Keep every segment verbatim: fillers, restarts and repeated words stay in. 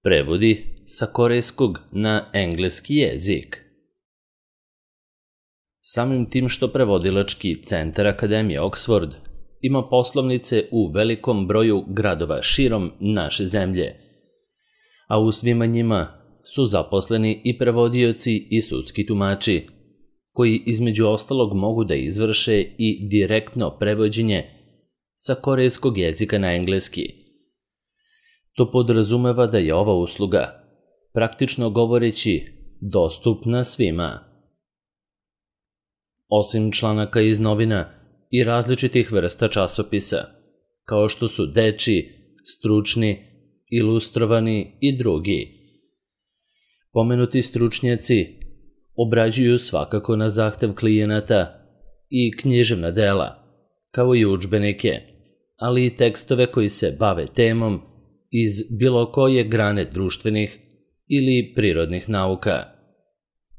Prevodi sa korejskog na engleski jezik. Samim tim što prevodilački centar Akademije Oxford ima poslovnice u velikom broju gradova širom naše zemlje, a u svima njima su zaposleni i prevodioci i sudski tumači, koji između ostalog mogu da izvrše i direktno prevođenje sa korejskog jezika na engleski. To podrazumeva da je ova usluga, praktično govoreći, dostupna svima. Osim članaka iz novina i različitih vrsta časopisa, kao što su dečiji, stručni, ilustrovani i drugi. Pomenuti stručnjaci obrađuju svakako na zahtev klijenata i književna dela, kao i udžbenike, ali i tekstove koji se bave temom iz bilo koje grane društvenih ili prirodnih nauka.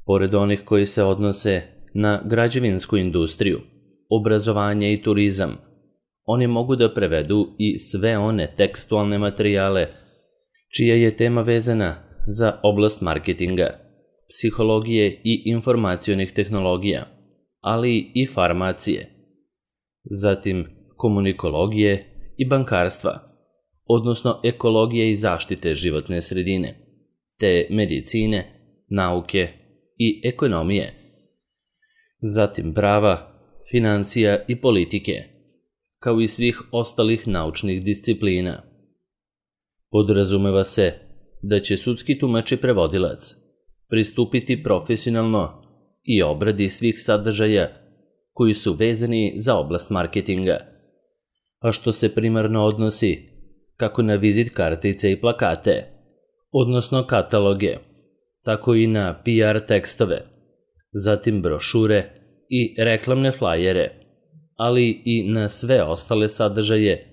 Pored onih koji se odnose na građevinsku industriju, obrazovanje i turizam, oni mogu da prevedu i sve one tekstualne materijale čija je tema vezana za oblast marketinga, psihologije i informacionih tehnologija, ali i farmacije, zatim komunikologije i bankarstva, odnosno ekologije i zaštite životne sredine, te medicine, nauke i ekonomije, zatim prava, financija i politike, kao i svih ostalih naučnih disciplina. Podrazumeva se da će sudski tumač i prevodilac pristupiti profesionalno i obradi svih sadržaja koji su vezani za oblast marketinga, a što se primarno odnosi kako na vizit kartice i plakate, odnosno kataloge, tako i na P R tekstove, zatim brošure i reklamne flajere, ali i na sve ostale sadržaje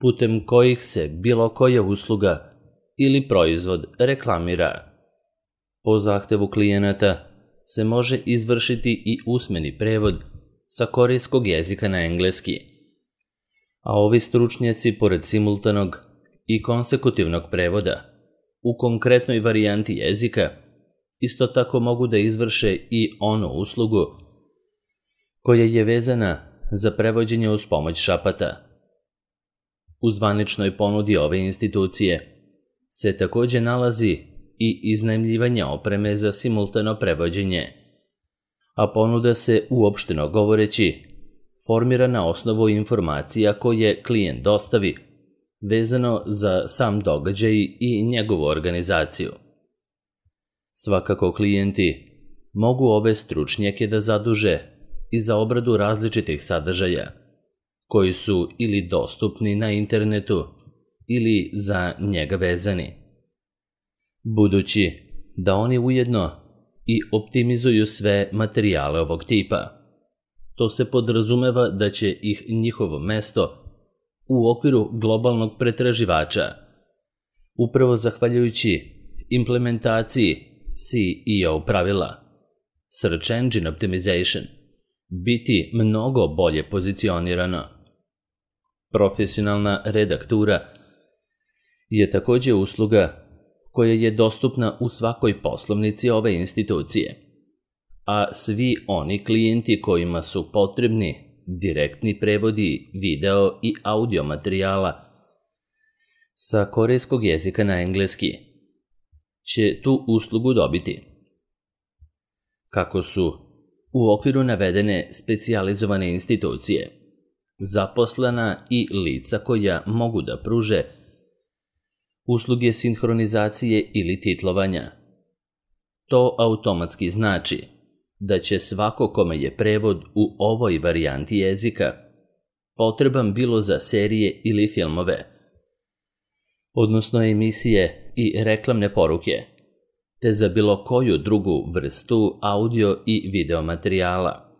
putem kojih se bilo koja usluga ili proizvod reklamira. Po zahtevu klijenata se može izvršiti i usmeni prevod sa korejskog jezika na engleski, a ovi stručnjaci pored simultanog i konsekutivnog prevoda u konkretnoj varijanti jezika isto tako mogu da izvrše i onu uslugu koja je vezana za prevođenje uz pomoć šapata. U zvaničnoj ponudi ove institucije se takođe nalazi i iznajmljivanje opreme za simultano prevođenje, a ponuda se, uopšteno govoreći, formira na osnovu informacija koje klijent dostavi vezano za sam događaj i njegovu organizaciju. Svakako klijenti mogu ove stručnjake da zaduže i za obradu različitih sadržaja, koji su ili dostupni na internetu ili za njega vezani. Budući da oni ujedno i optimizuju sve materijale ovog tipa, to se podrazumeva da će ih njihovo mesto u okviru globalnog pretraživača, upravo zahvaljujući implementaciji C E O pravila, Search Engine Optimization, biti mnogo bolje pozicionirano. Profesionalna redaktura je takođe usluga koja je dostupna u svakoj poslovnici ove institucije, a svi oni klijenti kojima su potrebni direktni prevodi video i audio materijala sa korejskog jezika na engleski će tu uslugu dobiti. Kako su u okviru navedene specijalizovane institucije zaposlena i lica koja mogu da pruže usluge sinhronizacije ili titlovanja. To automatski znači da će svako kome je prevod u ovoj varijanti jezika potreban bilo za serije ili filmove, odnosno emisije i reklamne poruke, te za bilo koju drugu vrstu audio i video materijala,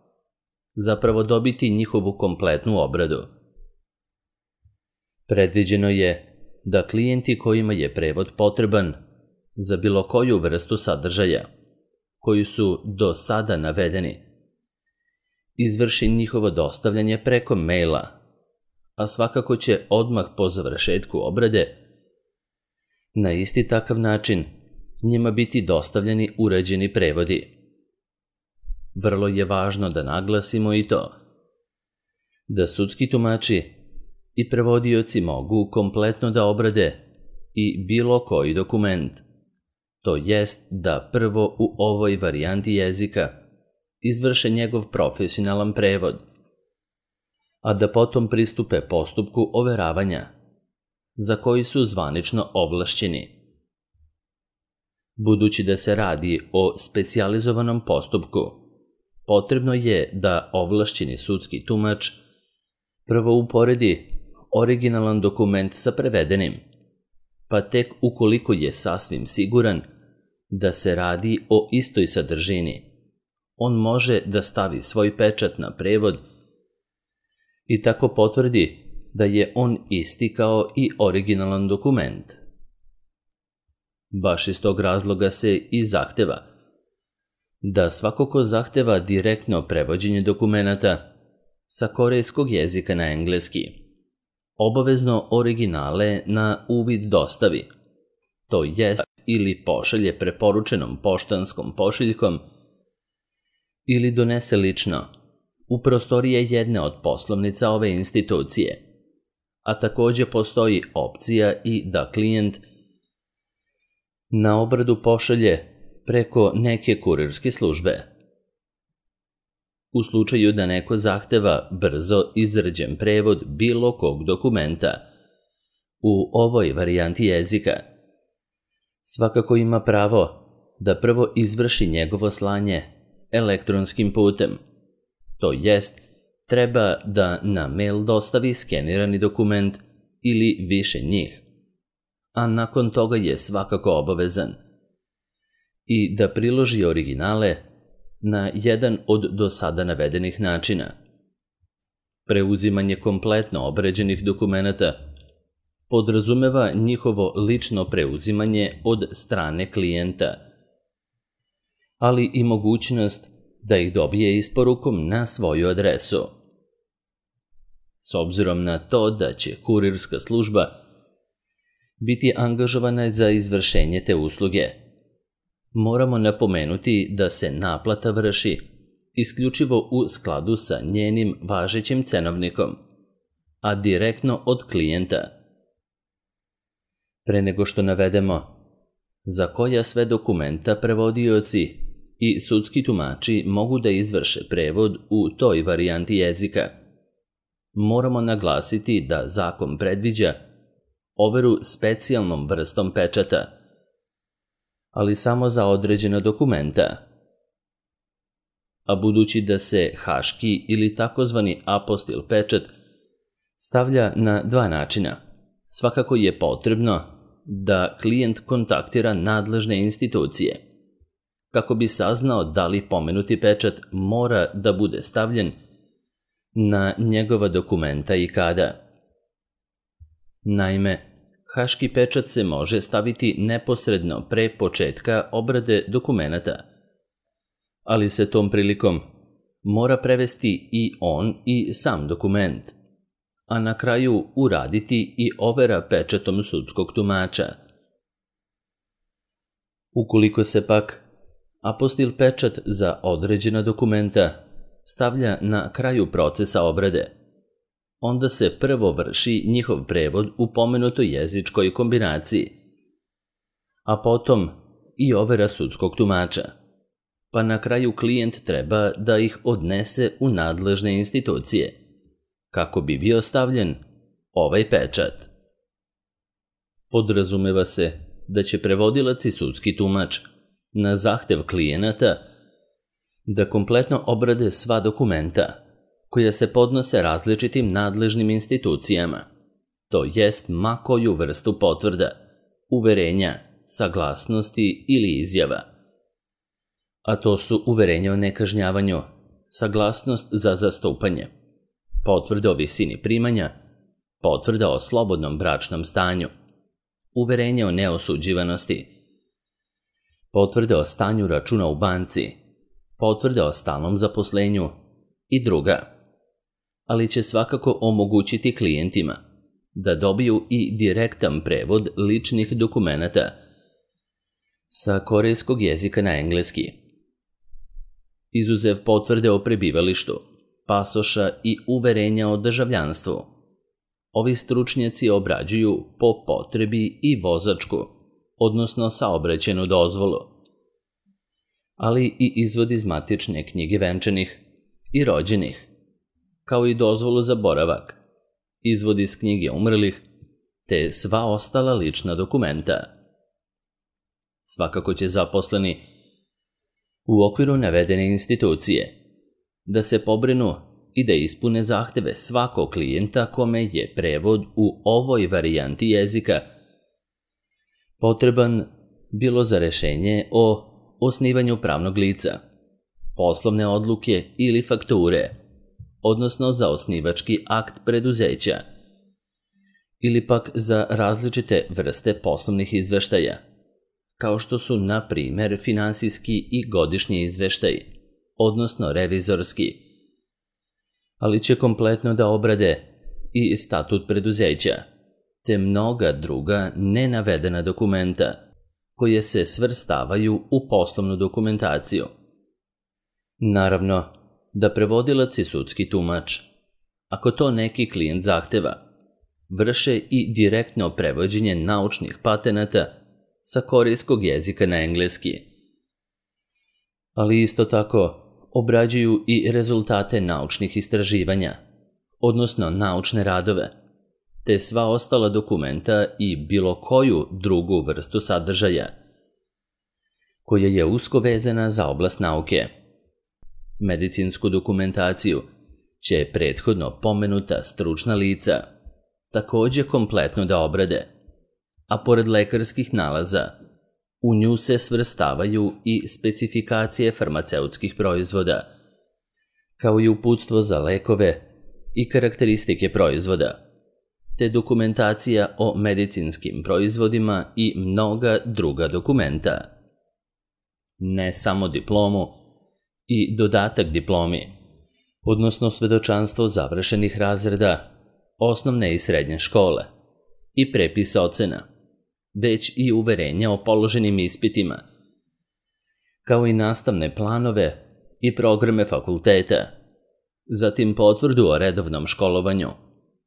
zapravo dobiti njihovu kompletnu obradu. Predviđeno je da klijenti kojima je prevod potreban za bilo koju vrstu sadržaja, koji su do sada navedeni, izvrši njihovo dostavljanje preko maila, a svakako će odmah po završetku obrade Na isti takav način njima biti dostavljeni uređeni prevodi. Vrlo je važno da naglasimo i to da sudski tumači i prevodioci mogu kompletno da obrade i bilo koji dokument, to jest da prvo u ovoj varijanti jezika izvrše njegov profesionalan prevod, a da potom pristupe postupku overavanja, za koji su zvanično ovlašćeni. Budući da se radi o specijalizovanom postupku, potrebno je da ovlašćeni sudski tumač prvo uporedi originalan dokument sa prevedenim, pa tek ukoliko je sasvim siguran da se radi o istoj sadržini, on može da stavi svoj pečat na prevod i tako potvrdi da je on isti kao i originalan dokument. Baš iz tog razloga se i zahteva da svako ko zahteva direktno prevođenje dokumenata sa korejskog jezika na engleski obavezno originale na uvid dostavi, to jest ili pošalje preporučenom poštanskom pošiljkom ili donese lično u prostorije jedne od poslovnica ove institucije, a takođe postoji opcija i da klijent na obradu pošalje preko neke kurirske službe. U slučaju da neko zahteva brzo izrađen prevod bilo kog dokumenta u ovoj varijanti jezika, svakako ima pravo da prvo izvrši njegovo slanje elektronskim putem, to jest treba da na mail dostavi skenirani dokument ili više njih, a nakon toga je svakako obavezan i da priloži originale na jedan od do sada navedenih načina. Preuzimanje kompletno obrađenih dokumenata podrazumeva njihovo lično preuzimanje od strane klijenta, ali i mogućnost da ih dobije isporukom na svoju adresu. S obzirom na to da će kurirska služba biti angažovana za izvršenje te usluge, moramo napomenuti da se naplata vrši isključivo u skladu sa njenim važećim cenovnikom, a direktno od klijenta. Pre nego što navedemo za koja sve dokumenta prevodioci i sudski tumači mogu da izvrše prevod u toj varijanti jezika, moramo naglasiti da zakon predviđa overu specijalnom vrstom pečata, ali samo za određena dokumenta. A budući da se haški ili takozvani apostil pečat stavlja na dva načina, svakako je potrebno da klijent kontaktira nadležne institucije kako bi saznao da li pomenuti pečat mora da bude stavljen na njegova dokumenta i kada. Naime, haški pečat se može staviti neposredno pre početka obrade dokumenata, ali se tom prilikom mora prevesti i on i sam dokument, a na kraju uraditi i overa pečatom sudskog tumača. Ukoliko se pak apostil pečat za određena dokumenta stavlja na kraju procesa obrade, onda se prvo vrši njihov prevod u pomenutoj jezičkoj kombinaciji, a potom i overa sudskog tumača, pa na kraju klijent treba da ih odnese u nadležne institucije, kako bi bio stavljen ovaj pečat. Podrazumeva se da će prevodilac i sudski tumač na zahtev klijenata da kompletno obrade sva dokumenta koja se podnose različitim nadležnim institucijama, to jest ma koju vrstu potvrda, uverenja, saglasnosti ili izjava. A to su uverenje o nekažnjavanju, saglasnost za zastupanje, potvrda o visini primanja, potvrda o slobodnom bračnom stanju, uverenje o neosuđivanosti, potvrda o stanju računa u banci, potvrda o stalnom zaposlenju i druga, ali će svakako omogućiti klijentima da dobiju i direktan prevod ličnih dokumenata sa korejskog jezika na engleski. Izuzev potvrde o prebivalištu, pasoša i uverenja o državljanstvu, ovi stručnjaci obrađuju po potrebi i vozačku, odnosno saobraćajnu dozvolu, ali i izvod iz matične knjige venčanih i rođenih, kao i dozvolu za boravak, izvod iz knjige umrlih, te sva ostala lična dokumenta. Svakako će zaposleni u okviru navedene institucije da se pobrinu i da ispune zahteve svakog klijenta kome je prevod u ovoj varijanti jezika potreban bilo za rešenje o osnivanju pravnog lica, poslovne odluke ili fakture, odnosno za osnivački akt preduzeća, ili pak za različite vrste poslovnih izveštaja, kao što su, na primer, finansijski i godišnji izveštaj, odnosno revizorski, ali će kompletno da obrade i statut preduzeća, te mnoga druga nenavedena dokumenta koje se svrstavaju u poslovnu dokumentaciju. Naravno, da prevodilac i sudski tumač, ako to neki klijent zahteva, vrše i direktno prevođenje naučnih patenata sa korejskog jezika na engleski, ali isto tako obrađuju i rezultate naučnih istraživanja, odnosno naučne radove, te sva ostala dokumenta i bilo koju drugu vrstu sadržaja, koja je usko vezana za oblast nauke. Medicinsku dokumentaciju će prethodno pomenuta stručna lica takođe kompletno da obrade, a pored lekarskih nalaza, u nju se svrstavaju i specifikacije farmaceutskih proizvoda, kao i uputstvo za lekove i karakteristike proizvoda, te dokumentacija o medicinskim proizvodima i mnoga druga dokumenta. Ne samo diplomu i dodatak diplomi, odnosno svedočanstvo završenih razreda osnovne i srednje škole i prepis ocena, već i uverenja o položenim ispitima, kao i nastavne planove i programe fakulteta, zatim potvrdu o redovnom školovanju,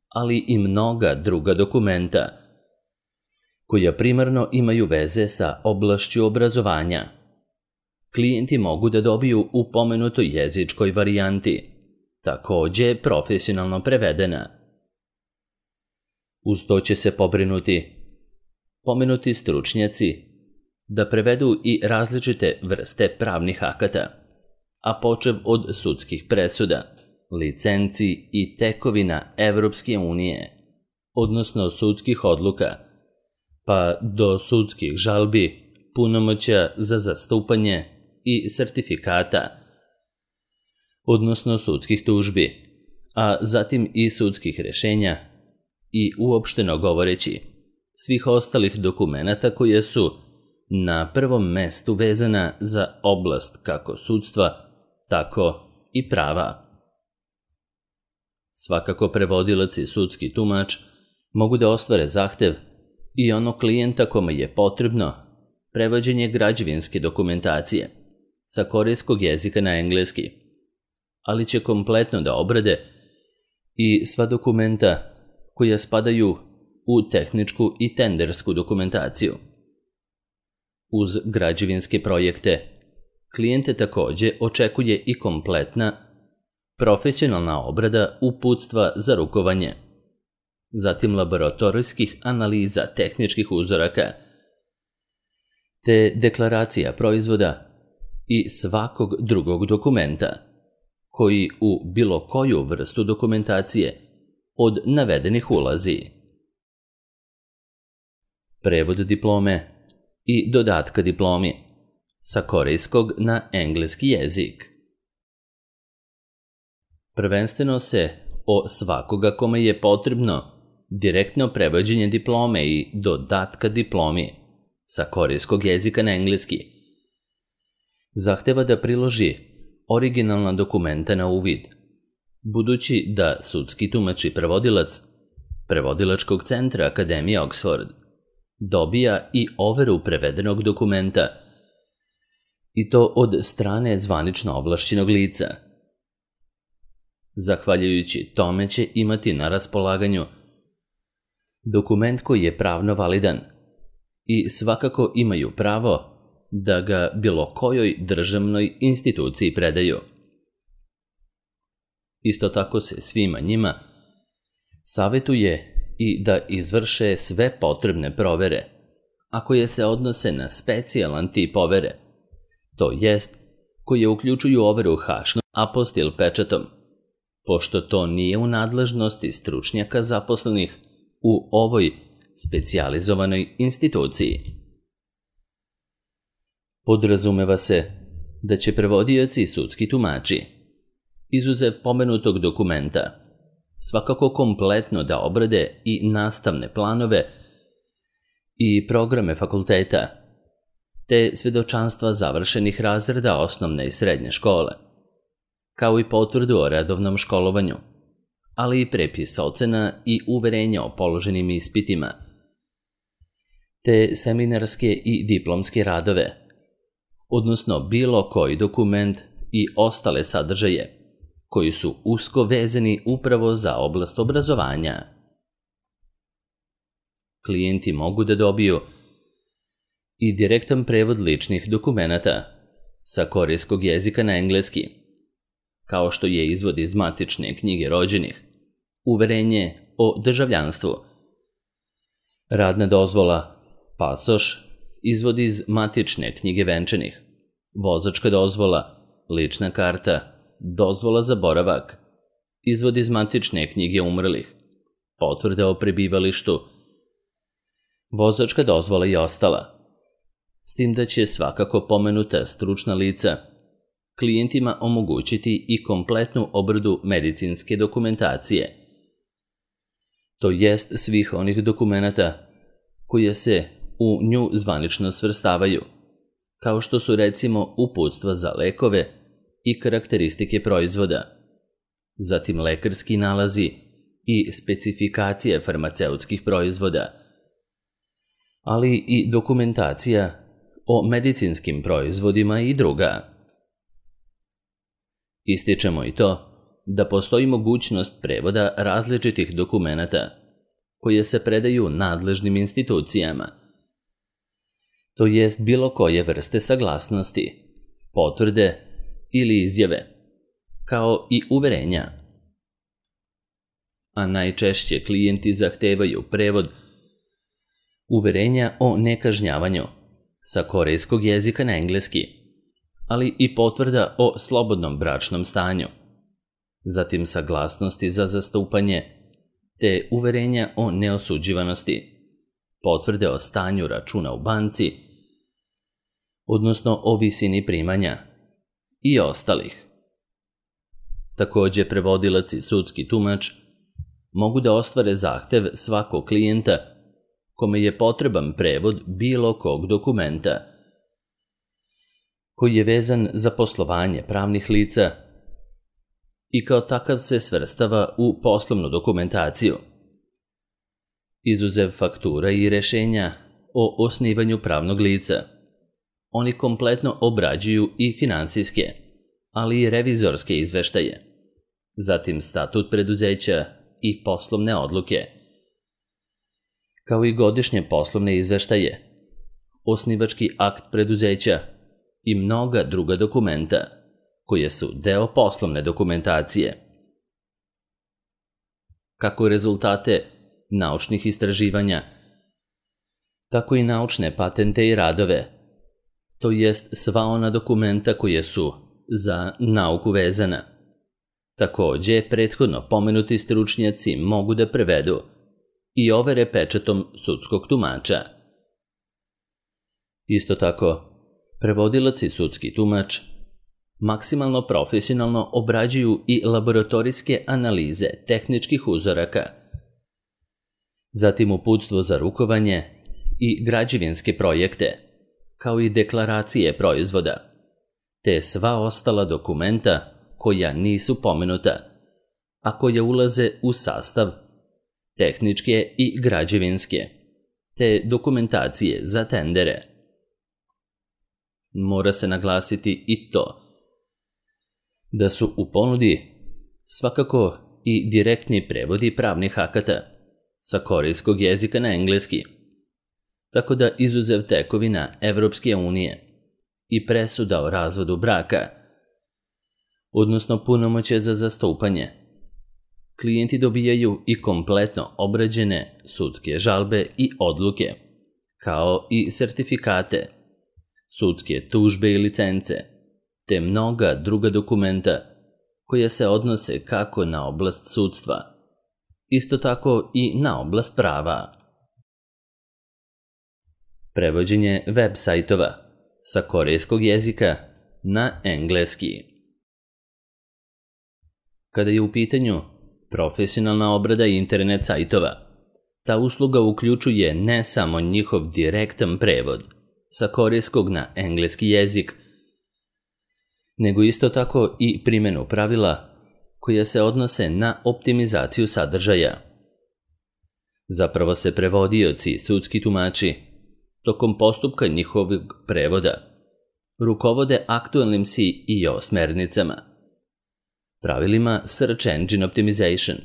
ali i mnoga druga dokumenta, koja primarno imaju veze sa oblašću obrazovanja. Klijenti mogu da dobiju u pomenutoj jezičkoj varijanti, takođe profesionalno prevedena. Uz to će se pobrinuti pomenuti stručnjaci da prevedu i različite vrste pravnih akata, a počev od sudskih presuda, licenci i tekovina Evropske unije, odnosno sudskih odluka, pa do sudskih žalbi, punomoćja za zastupanje i sertifikata, odnosno sudskih tužbi, a zatim i sudskih rešenja i, uopšteno govoreći, svih ostalih dokumenata koje su na prvom mestu vezana za oblast kako sudstva, tako i prava. Svakako prevodilac i sudski tumač mogu da ostvare zahtev i onog klijenta kome je potrebno prevođenje građevinske dokumentacije sa korejskog jezika na engleski, ali će kompletno da obrade i sva dokumenta koja spadaju u tehničku i tendersku dokumentaciju. Uz građevinske projekte, klijente takođe očekuje i kompletna profesionalna obrada uputstva za rukovanje, zatim laboratorijskih analiza tehničkih uzoraka, te deklaracija proizvoda i svakog drugog dokumenta, koji u bilo koju vrstu dokumentacije od navedenih ulazi. Prevod diplome i dodatka diplomi sa korejskog na engleski jezik. Prvenstveno se o svakoga kome je potrebno direktno prevođenje diplome i dodatka diplomi sa korejskog jezika na engleski zahteva da priloži originalna dokumenta na uvid, budući da sudski tumač i prevodilac prevodilačkog centra Akademije Oxford, dobija i overu prevedenog dokumenta, i to od strane zvanično ovlašćenog lica. Zahvaljujući tome će imati na raspolaganju dokument koji je pravno validan i svakako imaju pravo da ga bilo kojoj državnoj instituciji predaju. Isto tako se svima njima savjetuje i da izvrše sve potrebne provere, a koje se odnose na specijalan tip overe, to jest koje uključuju overu hašnom apostil pečatom, pošto to nije u nadležnosti stručnjaka zaposlenih u ovoj specijalizovanoj instituciji. Podrazumeva se da će prevodioci i sudski tumači, izuzev pomenutog dokumenta, svakako kompletno da obrade i nastavne planove i programe fakulteta, te svedočanstva završenih razreda osnovne i srednje škole, kao i potvrdu o redovnom školovanju, ali i prepis ocena i uverenja o položenim ispitima, te seminarske i diplomske radove, odnosno bilo koji dokument i ostale sadržaje koji su usko vezani upravo za oblast obrazovanja. Klijenti mogu da dobiju i direktan prevod ličnih dokumenata sa korejskog jezika na engleski, kao što je izvod iz matične knjige rođenih, uverenje o državljanstvu, radna dozvola, pasoš, izvod iz matične knjige venčanih, vozačka dozvola, lična karta, dozvola za boravak, izvod iz matične knjige umrlih, potvrda o prebivalištu, vozačka dozvola i ostala. S tim da će svakako pomenuta stručna lica klijentima omogućiti i kompletnu obradu medicinske dokumentacije, to jest svih onih dokumenata koje se u nju zvanično svrstavaju, kao što su recimo uputstva za lekove i karakteristike proizvoda, zatim lekarski nalazi i specifikacije farmaceutskih proizvoda, ali i dokumentacija o medicinskim proizvodima i druga. Ističemo i to da postoji mogućnost prevoda različitih dokumenata koje se predaju nadležnim institucijama, to jest bilo koje vrste saglasnosti, potvrde ili izjave, kao i uverenja. A najčešće klijenti zahtevaju prevod uverenja o nekažnjavanju sa korejskog jezika na engleski, ali i potvrda o slobodnom bračnom stanju, zatim saglasnosti za zastupanje, te uverenja o neosuđivanosti, potvrde o stanju računa u banci, odnosno o visini primanja i ostalih. Takođe, prevodilac i sudski tumač mogu da ostvare zahtev svakog klijenta kome je potreban prevod bilo kog dokumenta koji je vezan za poslovanje pravnih lica i kao takav se svrstava u poslovnu dokumentaciju, izuzev faktura i rešenja o osnivanju pravnog lica. Oni kompletno obrađuju i finansijske, ali i revizorske izveštaje, zatim statut preduzeća i poslovne odluke, kao i godišnje poslovne izveštaje, osnivački akt preduzeća i mnoga druga dokumenta koje su deo poslovne dokumentacije. Kako rezultate naučnih istraživanja, tako i naučne patente i radove, to jest sva ona dokumenta koje su za nauku vezana. Takođe, prethodno pomenuti stručnjaci mogu da prevedu i overe pečatom sudskog tumača. Isto tako, prevodilac i sudski tumač maksimalno profesionalno obrađuju i laboratorijske analize tehničkih uzoraka, zatim uputstvo za rukovanje i građevinske projekte, kao i deklaracije proizvoda, te sva ostala dokumenta koja nisu pomenuta, a koja ulaze u sastav tehničke i građevinske, te dokumentacije za tendere. Mora se naglasiti i to da su u ponudi svakako i direktni prevodi pravnih akata sa korejskog jezika na engleski, tako da izuzev tekovina Evropske unije i presuda o razvodu braka, odnosno punomoćje za zastupanje, klijenti dobijaju i kompletno obrađene sudske žalbe i odluke, kao i sertifikate, sudske tužbe i licence, te mnoga druga dokumenta koja se odnose kako na oblast sudstva, isto tako i na oblast prava. Prevođenje web sajtova sa korejskog jezika na engleski. Kada je u pitanju profesionalna obrada internet sajtova, ta usluga uključuje ne samo njihov direktan prevod sa korejskog na engleski jezik, nego isto tako i primjenu pravila koja se odnose na optimizaciju sadržaja. Zapravo se prevodioci i sudski tumači tokom postupka njihovog prevoda rukovode aktualnim S E O smernicama, pravilima Search Engine Optimization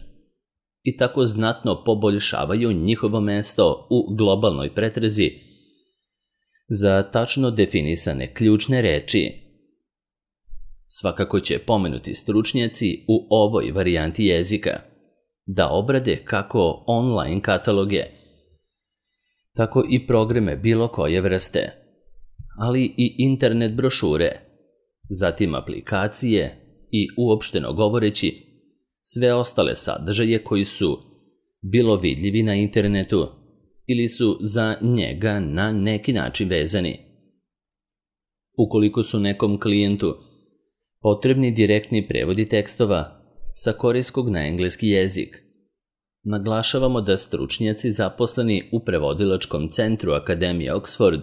i tako znatno poboljšavaju njihovo mesto u globalnoj pretrazi za tačno definisane ključne reči. Svakako će pomenuti stručnjaci u ovoj varijanti jezika da obrade kako online kataloge, tako i programe bilo koje vrste, ali i internet brošure, zatim aplikacije i uopšteno govoreći sve ostale sadržaje koji su bilo vidljivi na internetu ili su za njega na neki način vezani. Ukoliko su nekom klijentu potrebni direktni prevodi tekstova sa korejskog na engleski jezik, naglašavamo da stručnjaci zaposleni u prevodilačkom centru Akademije Oxford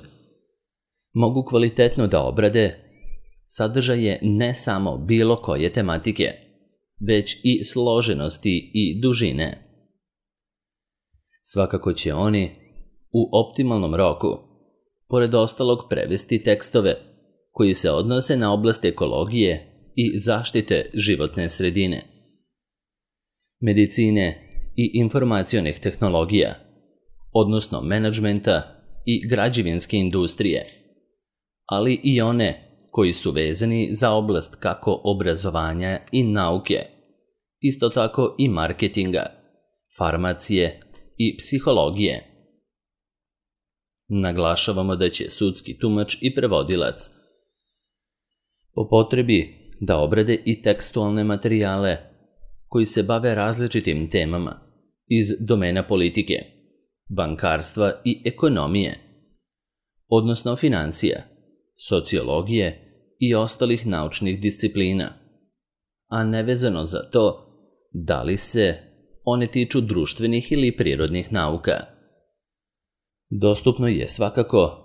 mogu kvalitetno da obrade sadržaje ne samo bilo koje tematike, već i složenosti i dužine. Svakako će oni u optimalnom roku, pored ostalog, prevesti tekstove koji se odnose na oblast ekologije i zaštite životne sredine, medicine i informacionih tehnologija, odnosno menadžmenta i građevinske industrije, ali i one koji su vezani za oblast kako obrazovanja i nauke, isto tako i marketinga, farmacije i psihologije. Naglašavamo da će sudski tumač i prevodilac po potrebi da obrade i tekstualne materijale koji se bave različitim temama iz domena politike, bankarstva i ekonomije, odnosno financija, sociologije i ostalih naučnih disciplina, a nevezano za to da li se one tiču društvenih ili prirodnih nauka. Dostupno je svakako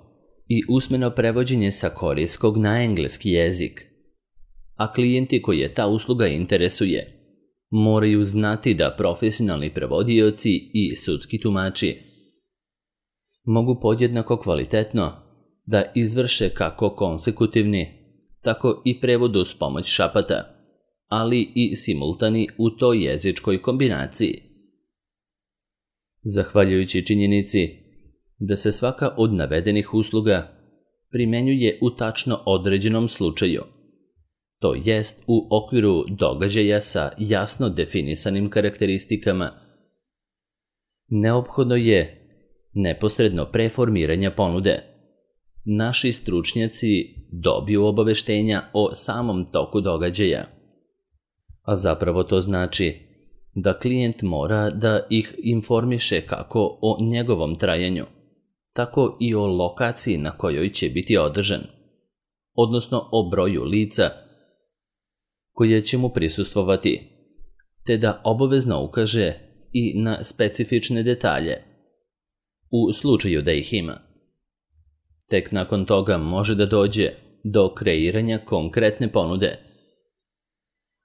i usmeno prevođenje sa korejskog na engleski jezik, a klijenti koje ta usluga interesuje moraju znati da profesionalni prevodioci i sudski tumači mogu podjednako kvalitetno da izvrše kako konsekutivni, tako i prevod uz pomoć šapata, ali i simultani u toj jezičkoj kombinaciji. Zahvaljujući činjenici da se svaka od navedenih usluga primenjuje u tačno određenom slučaju, to jest u okviru događaja sa jasno definisanim karakteristikama, neophodno je neposredno pre formiranja ponude naši stručnjaci dobiju obaveštenja o samom toku događaja, a zapravo to znači da klijent mora da ih informiše kako o njegovom trajanju, tako i o lokaciji na kojoj će biti održan, odnosno o broju lica koje će mu prisustvovati, te da obavezno ukaže i na specifične detalje, u slučaju da ih ima. Tek nakon toga može da dođe do kreiranja konkretne ponude,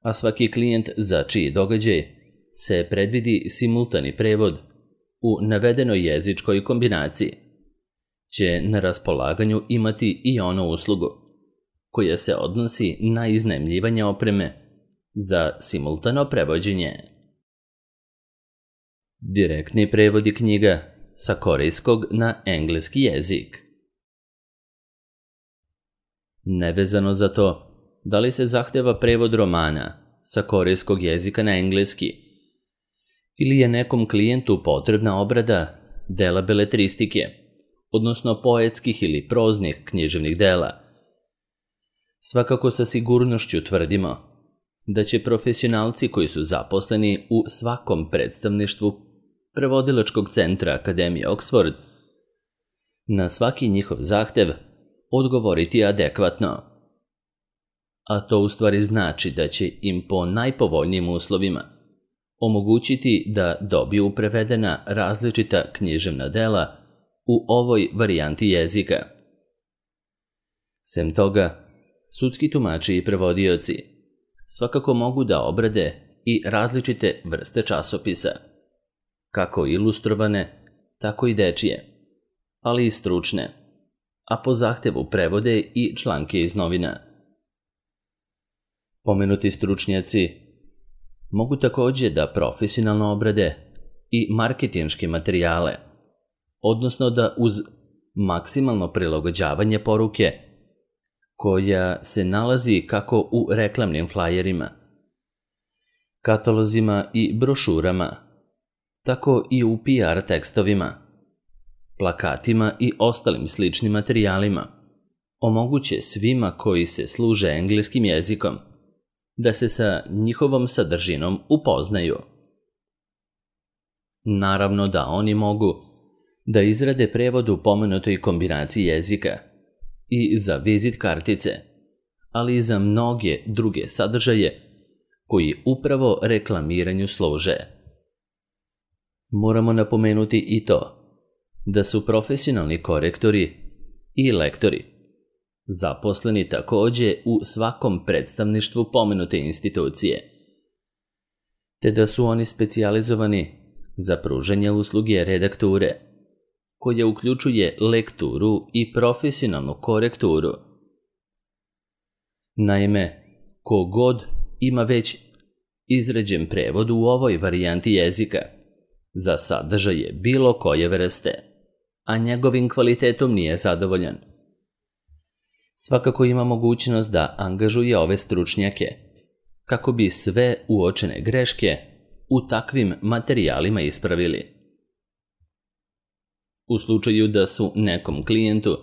a svaki klijent za čiji događaj se predvidi simultani prevod u navedenoj jezičkoj kombinaciji će na raspolaganju imati i onu uslugu koja se odnosi na iznajmljivanje opreme za simultano prevođenje. Direktni prevodi knjiga sa korejskog na engleski jezik. Nevezano za to da li se zahteva prevod romana sa korejskog jezika na engleski ili je nekom klijentu potrebna obrada dela beletristike, odnosno poetskih ili proznih književnih dela, svakako sa sigurnošću tvrdimo da će profesionalci koji su zaposleni u svakom predstavništvu prevodilačkog centra Akademije Oxford na svaki njihov zahtev odgovoriti adekvatno. A to u stvari znači da će im po najpovoljnijim uslovima omogućiti da dobiju prevedena različita književna dela u ovoj varijanti jezika. Sem toga, sudski tumači i prevodioci svakako mogu da obrade i različite vrste časopisa, kako ilustrovane, tako i dečije, ali i stručne, a po zahtevu prevode i članke iz novina. Pomenuti stručnjaci mogu također da profesionalno obrade i marketinške materijale, odnosno da uz maksimalno prilagođavanje poruke, koja se nalazi kako u reklamnim flajerima, katalozima i brošurama, tako i u P R tekstovima, plakatima i ostalim sličnim materijalima, omoguće svima koji se služe engleskim jezikom da se sa njihovom sadržinom upoznaju. Naravno da oni mogu da izrade prevod u pomenutoj kombinaciji jezika i za vizit kartice, ali i za mnoge druge sadržaje koji upravo reklamiranju služe. Moramo napomenuti i to da su profesionalni korektori i lektori zaposleni također u svakom predstavništvu pomenute institucije, te da su oni specijalizovani za pružanje usluge redakture, koja uključuje lekturu i profesionalnu korekturu. Naime, kogod ima već izrađen prevod u ovoj varijanti jezika za sadržaje bilo koje vrste, a njegovim kvalitetom nije zadovoljan, svakako ima mogućnost da angažuje ove stručnjake kako bi sve uočene greške u takvim materijalima ispravili. U slučaju da su nekom klijentu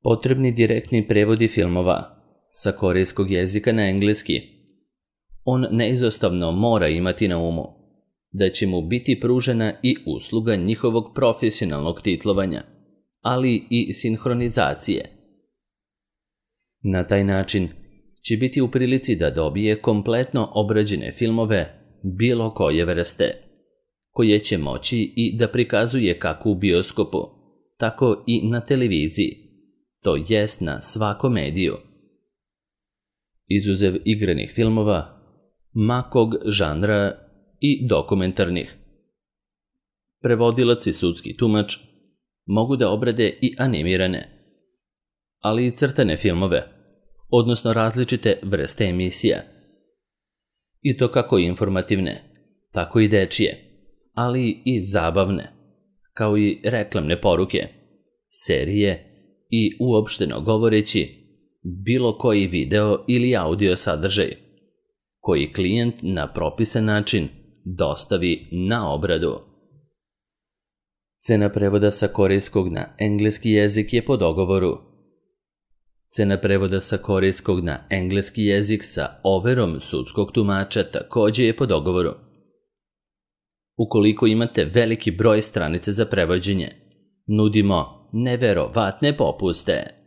potrebni direktni prevodi filmova sa korejskog jezika na engleski, on neizostavno mora imati na umu da će mu biti pružena i usluga njihovog profesionalnog titlovanja, ali i sinhronizacije. Na taj način će biti u prilici da dobije kompletno obrađene filmove bilo koje vrste, koje će moći i da prikazuje kako u bioskopu, tako i na televiziji, to jest na svakom mediju. Izuzev igranih filmova, makog žanra i dokumentarnih. Prevodilac i sudski tumač mogu da obrade i animirane, ali i crtane filmove, odnosno različite vrste emisija, i to kako informativne, tako i dečije, ali i zabavne, kao i reklamne poruke, serije i uopšteno govoreći bilo koji video ili audio sadržaj, koji klijent na propisan način dostavi na obradu. Cena prevoda sa korejskog na engleski jezik je po dogovoru. Cena prevoda sa korejskog na engleski jezik sa overom sudskog tumača također je po dogovoru. Ukoliko imate veliki broj stranice za prevođenje, nudimo neverovatne popuste.